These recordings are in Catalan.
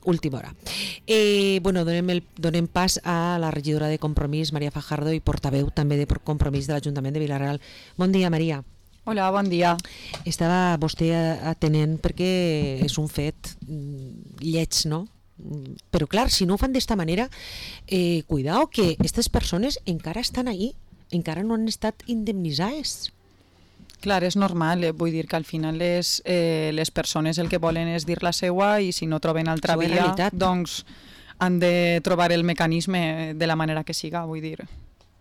última hora. Bueno, donem pas a la regidora de Compromís, Maria Fajardo, i portaveu també de Compromís de l'Ajuntament de Vila-real. Bon dia, Maria. Hola, bon dia. Estava vostè atenent perquè és un fet lleig, no? Però clar, si no ho fan d'esta manera, cuidao que aquestes persones encara estan ahí, encara no han estat indemnitzades. Clar, és normal, vull dir que al final les persones el que volen és dir la seua i si no troben altra via, doncs han de trobar el mecanisme de la manera que siga, vull dir,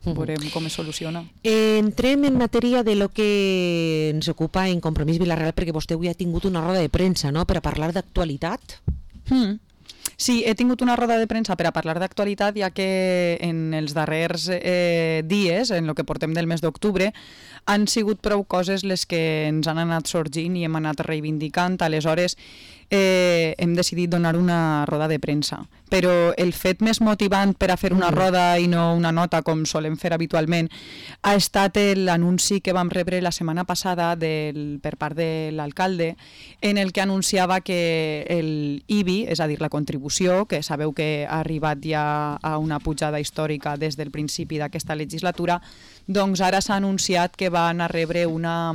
veurem com es soluciona. Entrem en matèria de lo que ens ocupa en Compromís Vila-real, perquè vostè avui ha tingut una roda de premsa, no?, per a parlar d'actualitat. Sí, he tingut una roda de premsa per a parlar d'actualitat, ja que en els darrers dies, en el que portem del mes d'octubre, han sigut prou coses les que ens han anat sorgint i hem anat reivindicant. Aleshores, hem decidit donar una roda de premsa. Però el fet més motivant per a fer una roda i no una nota, com solem fer habitualment, ha estat l'anunci que vam rebre la setmana passada per part de l'alcalde, en el que anunciava que el IBI, és a dir, la contribució, que sabeu que ha arribat ja a una pujada històrica des del principi d'aquesta legislatura, doncs ara s'ha anunciat que van a rebre una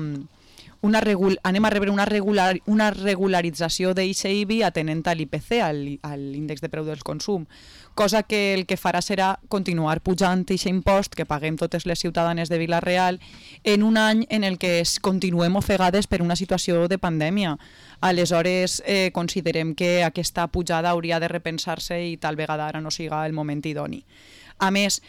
regularització d'ICIBI atenent a l'IPC, a l'índex de preu del consum, cosa que el que farà serà continuar pujant aquest impost que paguem totes les ciutadanes de Vila-real en un any en el que continuem ofegades per una situació de pandèmia. Aleshores, considerem que aquesta pujada hauria de repensar-se i tal vegada ara no siga el moment idoni. A més,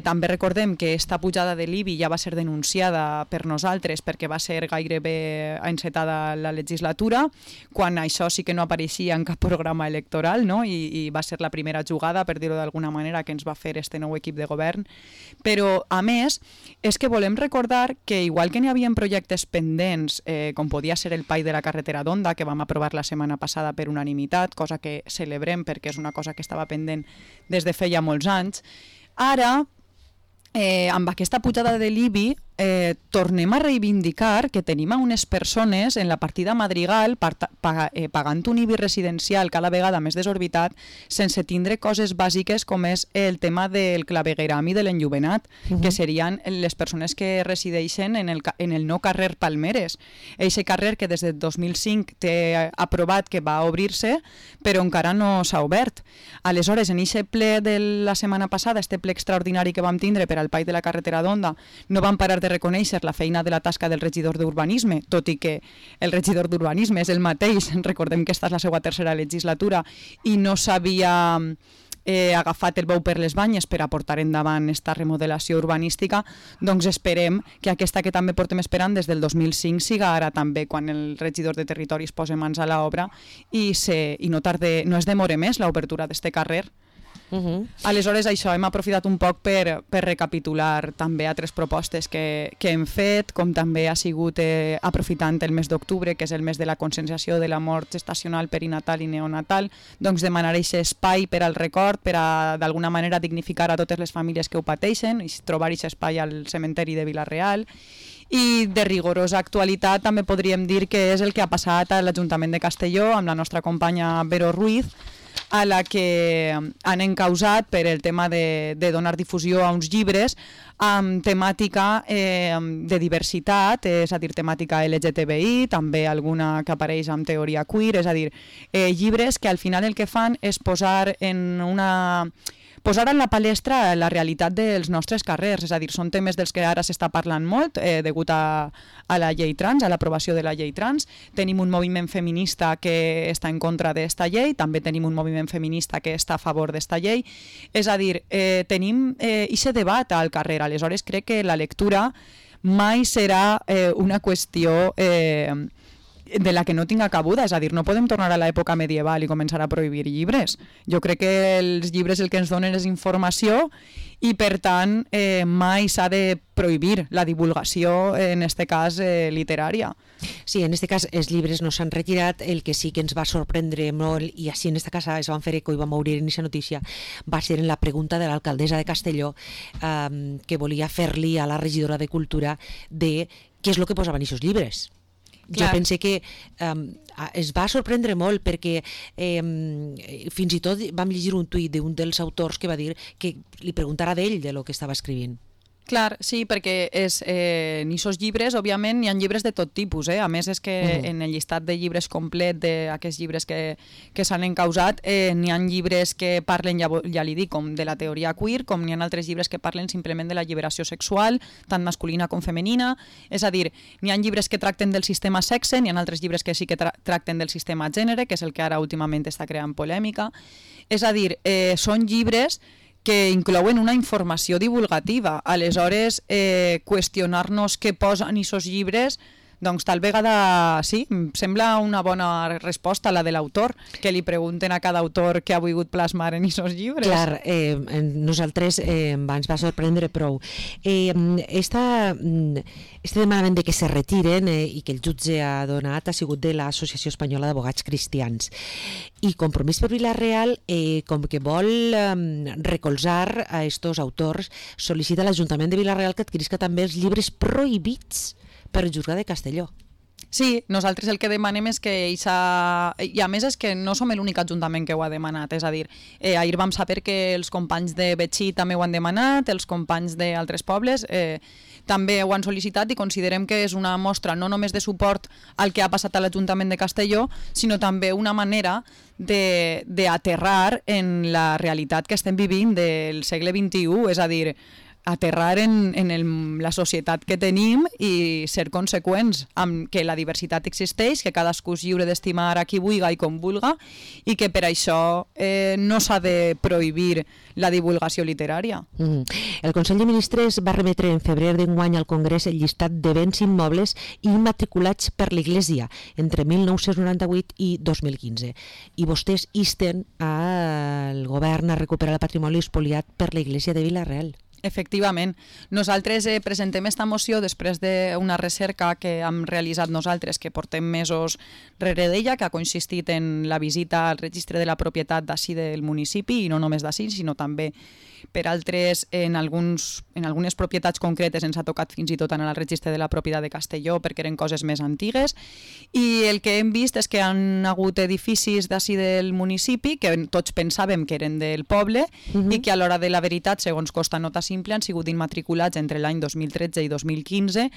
també recordem que aquesta pujada de l'IBI ja va ser denunciada per nosaltres perquè va ser gairebé encetada la legislatura, quan això sí que no apareixia en cap programa electoral, no? I va ser la primera jugada, per dir-ho d'alguna manera, que ens va fer este nou equip de govern. Però, a més, és que volem recordar que igual que n'hi havia projectes pendents, com podia ser el PAI de la carretera d'Onda, que vam aprovar la setmana passada per unanimitat, cosa que celebrem perquè és una cosa que estava pendent des de feia molts anys, ara, amb aquesta pujada de l'IBI, tornem a reivindicar que tenim a unes persones en la partida Madrigal pagant un IBI residencial cada vegada més desorbitat sense tindre coses bàsiques com és el tema del clavegueram i de l'enllumenat, que serien les persones que resideixen en el nou carrer Palmeres. Eixe carrer que des del 2005 té aprovat que va obrir-se, però encara no s'ha obert. Aleshores, en eixe ple de la setmana passada, este ple extraordinari que vam tindre per al PAI de la carretera d'Onda, no vam parar de reconèixer la feina de la tasca del regidor d'Urbanisme, tot i que el regidor d'Urbanisme és el mateix, recordem que esta és la seva tercera legislatura i no s'havia agafat el bou per les banyes per a portar endavant aquesta remodelació urbanística, doncs esperem que aquesta que també portem esperant des del 2005 siga ara també quan el regidor de Territori es posa mans a l'obra i no es demore més l'obertura d'este carrer. Aleshores, això, hem aprofitat un poc per recapitular també altres propostes que hem fet, com també ha sigut aprofitant el mes d'octubre, que és el mes de la conscienciació de la mort gestacional, perinatal i neonatal, doncs demanar aquest espai per al record, per a d'alguna manera dignificar a totes les famílies que ho pateixen i trobar aquest espai al cementeri de Vila-real. I de rigorosa actualitat també podríem dir que és el que ha passat a l'Ajuntament de Castelló amb la nostra companya Vero Ruiz, a la que han encausat per el tema de donar difusió a uns llibres amb temàtica de diversitat, és a dir, temàtica LGTBI, també alguna que apareix amb teoria queer, és a dir, llibres que al final el que fan és posar en la palestra la realitat dels nostres carrers, és a dir, són temes dels que ara s'està parlant molt degut a la llei trans, a l'aprovació de la llei trans. Tenim un moviment feminista que està en contra d'esta llei, també tenim un moviment feminista que està a favor d'esta llei, és a dir, tenim aquest debat al carrer. Aleshores crec que la lectura mai serà una qüestió de la que no tinga cabuda, és a dir, no podem tornar a l'època medieval i començar a prohibir llibres. Jo crec que els llibres el que ens donen és informació i, per tant, mai s'ha de prohibir la divulgació, en aquest cas, literària. Sí, en aquest cas els llibres no s'han retirat, el que sí que ens va sorprendre molt, i així en aquesta casa es van fer eco i vam obrir en aquesta notícia, va ser en la pregunta de l'alcaldessa de Castelló que volia fer-li a la regidora de Cultura de què és el que posaven en aquests llibres. Jo pense que es va sorprendre molt perquè fins i tot vam llegir un tuit d'un dels autors que va dir que li preguntara d'ell de lo que estava escrivint. Clar, sí, perquè en aquests llibres, òbviament, hi ha llibres de tot tipus. A més, és que en el llistat de llibres complet d'aquests llibres que s'han encausat, n'hi ha llibres que parlen, ja li dic, com de la teoria queer, com n'hi ha altres llibres que parlen simplement de la lliberació sexual, tant masculina com femenina. És a dir, n'hi ha llibres que tracten del sistema sexe, n'hi ha altres llibres que sí que tracten del sistema gènere, que és el que ara últimament està creant polèmica. És a dir, són llibres que inclouen una informació divulgativa. Aleshores, qüestionar-nos què posen aquests llibres, doncs tal vegada sí, em sembla una bona resposta la de l'autor, que li pregunten a cada autor què ha volgut plasmar en aquests llibres. Clar, nosaltres ens va sorprendre prou. Este demanament de que se retiren i que el jutge ha donat ha sigut de l'Associació Espanyola d'Advocats Cristians. I Compromís per Vila-real, com que vol recolzar a estos autors, sol·licita a l'Ajuntament de Vila-real que adquirisca també els llibres prohibits per el Jutjat de Castelló. Sí, nosaltres el que demanem és que i a més és que no som l'únic ajuntament que ho ha demanat, és a dir, ahir vam saber que els companys de Betxí també ho han demanat, els companys d'altres pobles també ho han sol·licitat i considerem que és una mostra no només de suport al que ha passat a l'Ajuntament de Castelló, sinó també una manera d'aterrar en la realitat que estem vivint del segle XXI, és a dir, aterrar en la societat que tenim i ser conseqüents amb que la diversitat existeix, que cadascú és lliure d'estimar a qui vulga i com vulga i que per això no s'ha de prohibir la divulgació literària. El Consell de Ministres va remetre en febrer d'enguany al Congrés el llistat de béns immobles immatriculats per l'Església entre 1998 i 2015 i vostès insten al govern a recuperar el patrimoni espoliat per l'Església de Vila-real. Efectivament. Nosaltres presentem esta moció després d'una recerca que hem realitzat nosaltres, que portem mesos rere d'ella, que ha consistit en la visita al registre de la propietat d'ací del municipi, i no només d'ací, sinó també per altres, en algunes propietats concretes ens ha tocat fins i tot anar al registre de la propietat de Castelló perquè eren coses més antigues, i el que hem vist és que han hagut edificis d'ací del municipi que tots pensàvem que eren del poble i que a l'hora de la veritat, segons costa nota simple, han sigut immatriculats entre l'any 2013 i 2015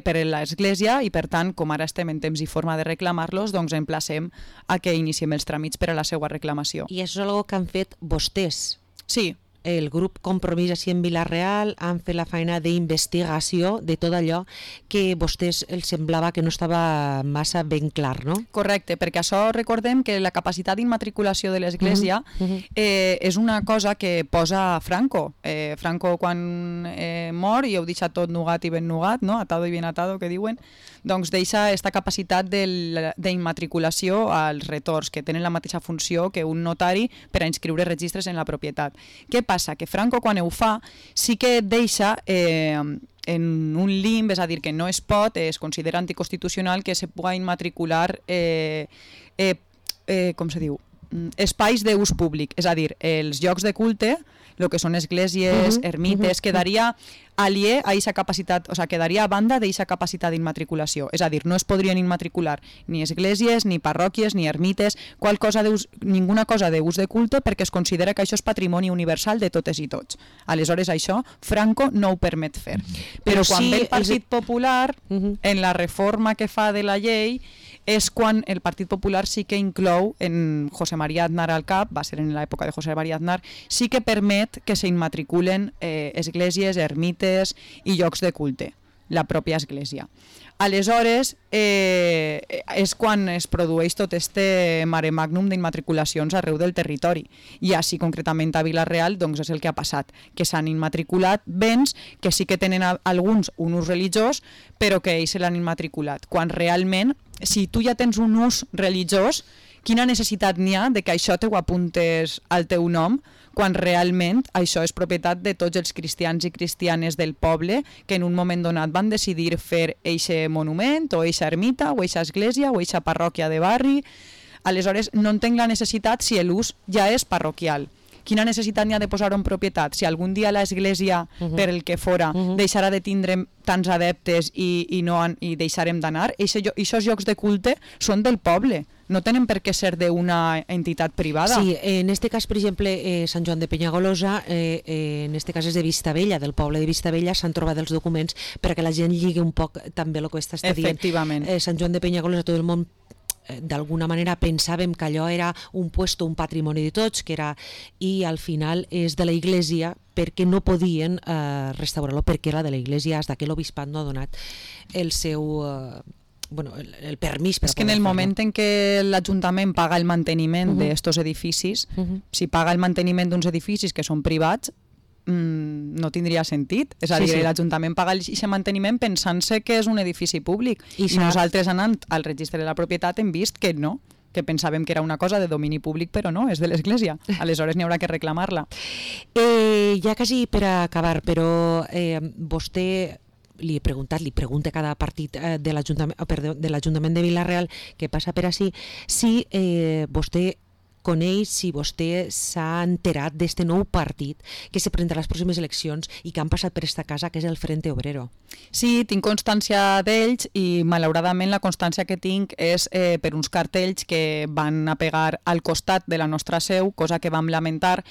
per l'Església i, per tant, com ara estem en temps i forma de reclamar-los, doncs emplacem a que iniciem els tràmits per a la seva reclamació. I això és una cosa que han fet vostès? Sí. El grup Compromís així en Vila-real han fet la feina d'investigació de tot allò que a vostès els semblava que no estava massa ben clar, no? Correcte, perquè això recordem que la capacitat d'immatriculació de l'Església és una cosa que posa Franco. Franco quan mor, i heu deixat tot nugat i ben nugat, no? Atado i ben atado, que diuen, doncs deixa aquesta capacitat d'immatriculació als retors, que tenen la mateixa funció que un notari per a inscriure registres en la propietat. Què passa? Que Franco, quan ho fa, sí que deixa en un limb, és a dir, que no es pot, es considera anticonstitucional que se pugui immatricular, com se diu, espais d'ús públic, és a dir, els llocs de culte, el que són esglésies, ermites, quedaria aliè a aquesta capacitat, o sigui, quedaria a banda d'aquesta capacitat d'immatriculació. És a dir, no es podrien immatricular ni esglésies, ni parròquies, ni ermites, ninguna cosa d'ús de culte, perquè es considera que això és patrimoni universal de totes i tots. Aleshores, això Franco no ho permet fer. Però quan ve el Partit Popular, en la reforma que fa de la llei, és quan el Partit Popular sí que inclou en José María Aznar al cap, va ser en l'època de José María Aznar, sí que permet que s'immatriculen esglésies, ermites i llocs de culte, la pròpia església. Aleshores, és quan es produeix tot este mare magnum d'immatriculacions arreu del territori. I així, concretament a Vila-real, doncs és el que ha passat, que s'han immatriculat béns que sí que tenen alguns un ús religiós, però que ells se l'han immatriculat. Quan realment, si tu ja tens un ús religiós, quina necessitat n'hi ha de que això te ho apuntes al teu nom, quan realment això és propietat de tots els cristians i cristianes del poble que en un moment donat van decidir fer eixe monument o eixa ermita o eixa església o eixa parròquia de barri. Aleshores no entenc la necessitat si l'ús ja és parroquial. Quina necessitat n'hi ha de posar-ho en propietat? Si algun dia l'església, per el que fora, deixarà de tindre tants adeptes i deixarem d'anar, aquests llocs de culte són del poble, no tenen per què ser d'una entitat privada. Sí, en este cas, per exemple, Sant Joan de Penyagolosa, en este cas és de Vistabella, del poble de Vistabella, s'han trobat els documents perquè la gent lligui un poc també el que estàs dient. Efectivament. Sant Joan de Penyagolosa, tot el món d'alguna manera pensàvem que allò era un puesto, un patrimoni de tots, que era, i al final és de la Iglesia perquè no podien restaurar-lo, perquè era de la Iglesia, fins que l'obispat no ha donat el seu... el permís per és que en el moment en què l'Ajuntament paga el manteniment d'estos edificis, si paga el manteniment d'uns edificis que són privats, no tindria sentit. És a dir, l'Ajuntament paga aquest manteniment pensant-se que és un edifici públic i nosaltres anant al registre de la propietat hem vist que no, que pensàvem que era una cosa de domini públic, però no, és de l'Església. Aleshores n'hi haurà que reclamar-la. Ja quasi per acabar, però vostè li pregunta a cada partit de l'Ajuntament de Vila-real que passa per ací, si vostè coneix, si vostè s'ha enterat d'este nou partit que se presenta a les pròximes eleccions i que han passat per esta casa, que és el Frente Obrero. Sí, tinc constància d'ells i malauradament la constància que tinc és per uns cartells que van a pegar al costat de la nostra seu, cosa que vam lamentar,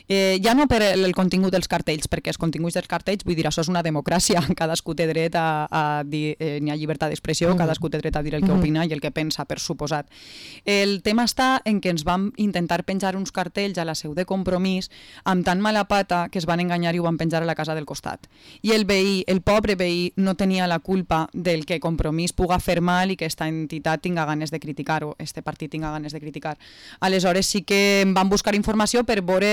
ja no per el contingut dels cartells, perquè els continguts dels cartells, vull dir, això és una democràcia, cadascú té dret a dir, n'hi ha llibertat d'expressió, cadascú té dret a dir el que opina i el que pensa, per suposat. El tema està en què ens vam intentar penjar uns cartells a la seu de Compromís amb tan mala pata que es van enganyar i ho van penjar a la casa del costat. I el veí, el pobre veí, no tenia la culpa del que Compromís puga fer mal i que esta entitat tinga ganes de criticar o este partit tinga ganes de criticar. Aleshores sí que vam buscar informació per veure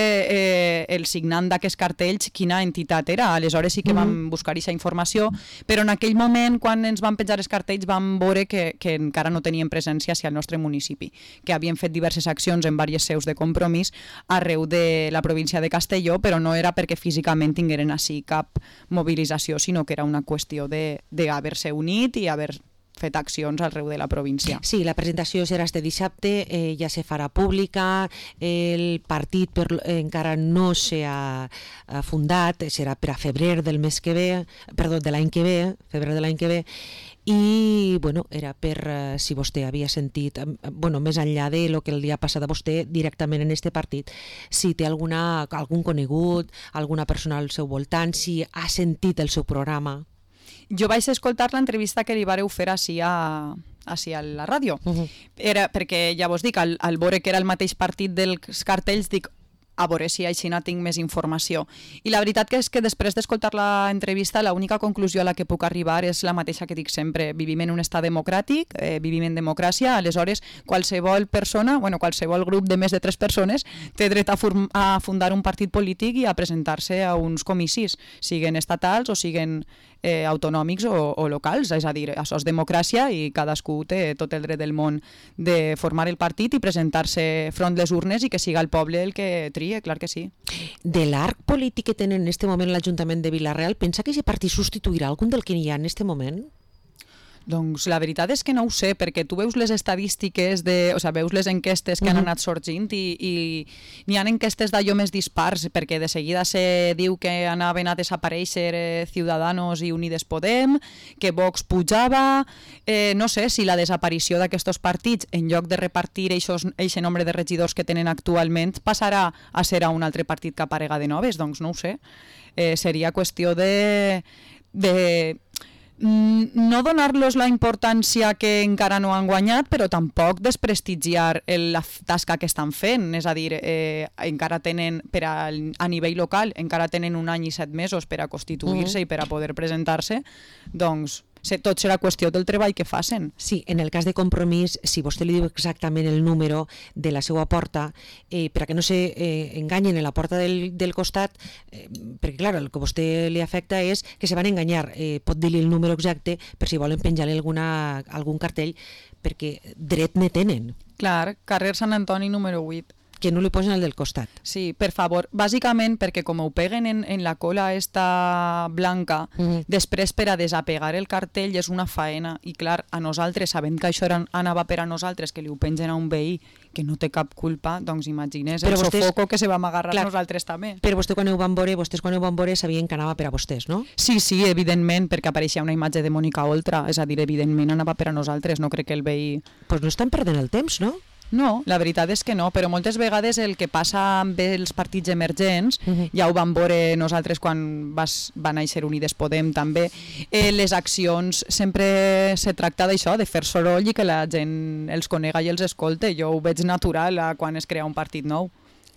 el signant d'aquests cartells quina entitat era. Aleshores sí que vam buscar aquesta informació, però en aquell moment, quan ens van penjar els cartells, vam veure que encara no tenien presència hacia el nostre municipi, que havien fet diverses accions en diverses seus de Compromís arreu de la província de Castelló, però no era perquè físicament tingueren així cap mobilització, sinó que era una qüestió d'haver-se unit i haver fet accions arreu de la província. Sí, la presentació serà este dissabte, ja se farà pública, el partit encara no s'ha fundat, serà per a febrer del mes que ve, perdó, de l'any que ve, febrer de l'any que ve, i bueno, era per si vostè havia sentit, més enllà de lo que li ha passat a vostè directament en este partit, si té algun conegut, alguna persona al seu voltant, si ha sentit el seu programa. Jo vaig escoltar l'entrevista que li vareu fer així a la ràdio. Era perquè, ja vos dic, al veure que era el mateix partit dels cartells, dic, a veure si així tinc més informació. I la veritat és que després d'escoltar l'entrevista, l'única conclusió a la que puc arribar és la mateixa que dic sempre. Vivim en un estat democràtic, vivim en democràcia, aleshores qualsevol persona, qualsevol grup de més de 3 persones té dret a fundar un partit polític i a presentar-se a uns comicis, siguen estatals o siguen autonòmics o locals, és a dir, això és democràcia i cadascú té tot el dret del món de formar el partit i presentar-se front les urnes i que siga el poble el que trie, clar que sí. De l'arc polític que tenen en este moment l'Ajuntament de Vila-real, pensa que aquest partit substituirà algun del que hi ha en este moment? Doncs la veritat és que no ho sé, perquè tu veus les estadístiques, veus les enquestes que han anat sorgint i n'hi ha enquestes d'allò més dispars, perquè de seguida se diu que anaven a desaparèixer Ciudadanos i Unides Podem, que Vox pujava, no sé si la desaparició d'aquests partits, en lloc de repartir aquest nombre de regidors que tenen actualment, passarà a ser a un altre partit que aparega de noves, doncs no ho sé. Seria qüestió de no donar-los la importància que encara no han guanyat, però tampoc desprestigiar la tasca que estan fent. És a dir, encara tenen, a nivell local, encara tenen 1 any i 7 mesos per a constituir-se i per a poder presentar-se, doncs tot serà qüestió del treball que facin. Sí, en el cas de Compromís, si vostè li diu exactament el número de la seva porta, per a que no s'enganyen en la porta del costat, perquè clar, el que a vostè li afecta és que se van enganyar, pot dir-li el número exacte per si volen penjar-li algun cartell, perquè dret ne tenen. Clar, carrer Sant Antoni número 8. Que no li posen el del costat. Sí, per favor. Bàsicament perquè com ho peguen en la cola esta blanca, després per a desapegar el cartell és una faena. I clar, a nosaltres, sabent que això anava per a nosaltres, que li ho pengen a un veí que no té cap culpa, doncs imagines Però el vostès- sofoco que se vam agarrar Clar. nosaltres també. Però vostès quan ho van veure sabien que anava per a vostès, no? Sí, evidentment, perquè apareixia una imatge de Mònica Oltra, és a dir, evidentment anava per a nosaltres, no crec que el veí... Pues no estan perdent el temps, no? No, la veritat és que no, però moltes vegades el que passa amb els partits emergents, ja ho vam veure nosaltres quan va néixer Unides Podem també, les accions sempre se tracta d'això, de fer soroll i que la gent els conega i els escolte. Jo ho veig natural quan es crea un partit nou.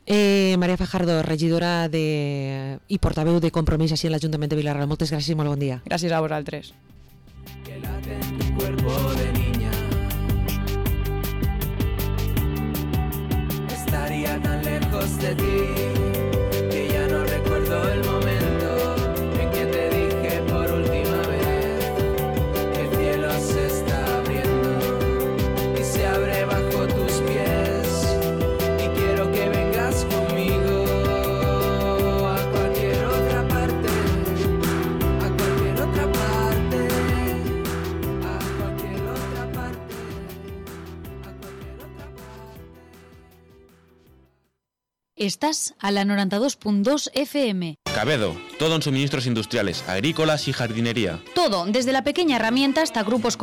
Maria Fajardo, regidora i portaveu de Compromís així en l'Ajuntament de Vila-real. Moltes gràcies i molt bon dia. Gràcies a vosaltres. Que late en tu cuerpo de niña. Estaría tan lejos de ti que ya no recuerdo el momento en que te dije por última vez que el cielo se está abriendo y se abre bajo tus pies y quiero que vengas conmigo a cualquier otra parte, a cualquier otra parte, a cualquier otra parte, a cualquier otra parte. Estás a la 92.2 FM. Cabedo, todo en suministros industriales, agrícolas y jardinería. Todo, desde la pequeña herramienta hasta grupos